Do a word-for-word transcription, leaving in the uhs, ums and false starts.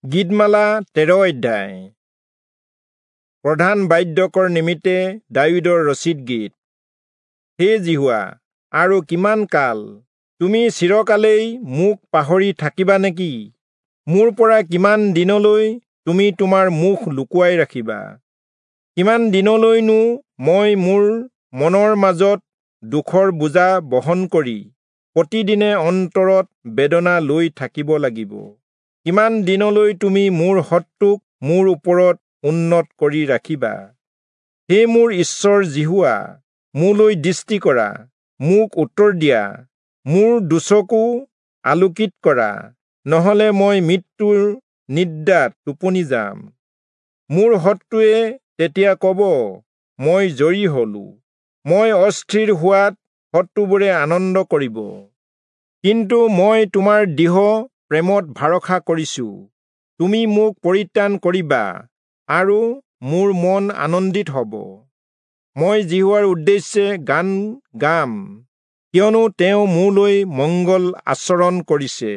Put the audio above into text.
গীতমালা তেৰ অধ্যায়। প্ৰধান বাদ্যকৰ নিমিত্তে দায়ূদৰ ৰচিত গীত। হে যিহোৱা, আৰু কিমান কাল তুমি চিৰকালেই মোক পাহৰি থাকিবা নেকি? মোৰ পৰা কিমান দিনলৈ তুমি তোমাৰ মুখ লুকুৱাই ৰাখিবা? কিমান দিনলৈনো মই মোৰ মনৰ মাজত দুখৰ বোজা বহন কৰি প্ৰতিদিনে অন্তৰত বেদনা লৈ থাকিব লাগিব? কিমান দিনলৈ তুমি মোৰ শত্ৰুক মোৰ ওপৰত উন্নত কৰি ৰাখিবা? হে মোৰ ঈশ্বৰ যিহোৱা, মোলৈ দৃষ্টি কৰা, মোক উত্তৰ দিয়া, মোৰ দুচকু আলোকিত কৰা, নহলে মই মৃত্যুৰ নিদ্ৰাত টোপনি যাম। মোৰ শত্ৰুৱে তেতিয়া কব, মই জয়ী হলো, মই অস্থিৰ হোৱাত শত্ৰুবোৰে আনন্দ কৰিব। কিন্তু মই তোমাৰ দৃঢ় প্ৰেমত ভৰসা কৰিছো, তুমি মোক পৰিত্ৰাণ কৰিবা আৰু মোৰ মন আনন্দিত হ'ব। মই যিহোৱাৰ উদ্দেশ্যে গান গাম, কিয়নো তেওঁ মোলৈ মংগল আচৰণ কৰিছে।